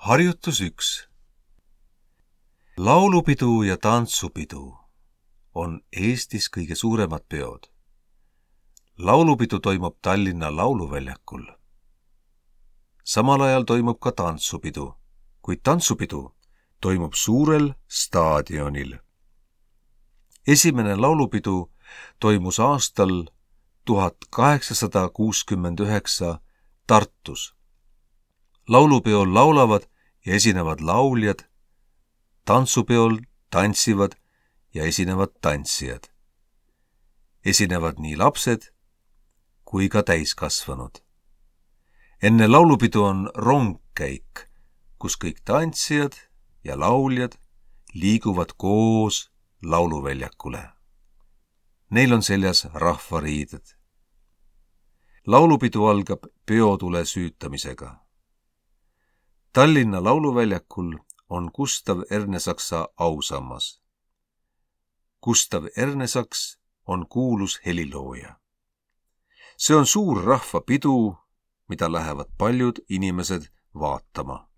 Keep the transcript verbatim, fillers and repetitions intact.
Harjutus üks. Laulupidu ja tantsupidu on Eestis kõige suuremad peod. Laulupidu toimub Tallinna Lauluväljakul. Samal ajal toimub ka tantsupidu, kuid tantsupidu toimub suurel staadionil. Esimene laulupidu toimus aastal tuhat kaheksasada kuuskümmend üheksa Tartus. Laulupeol laulavad ja esinevad lauljad, tantsupeol tantsivad ja esinevad tantsijad. Esinevad nii lapsed kui ka täiskasvanud. Enne laulupidu on rongkäik, kus kõik tantsijad ja lauljad liiguvad koos lauluväljakule. Neil on seljas rahvariided. Laulupidu algab peotule süütamisega. Tallinna Lauluväljakul on Gustav Ernesaksa ausammas. Gustav Ernesaks on kuulus helilooja. See on suur rahvapidu, mida lähevad paljud inimesed vaatama.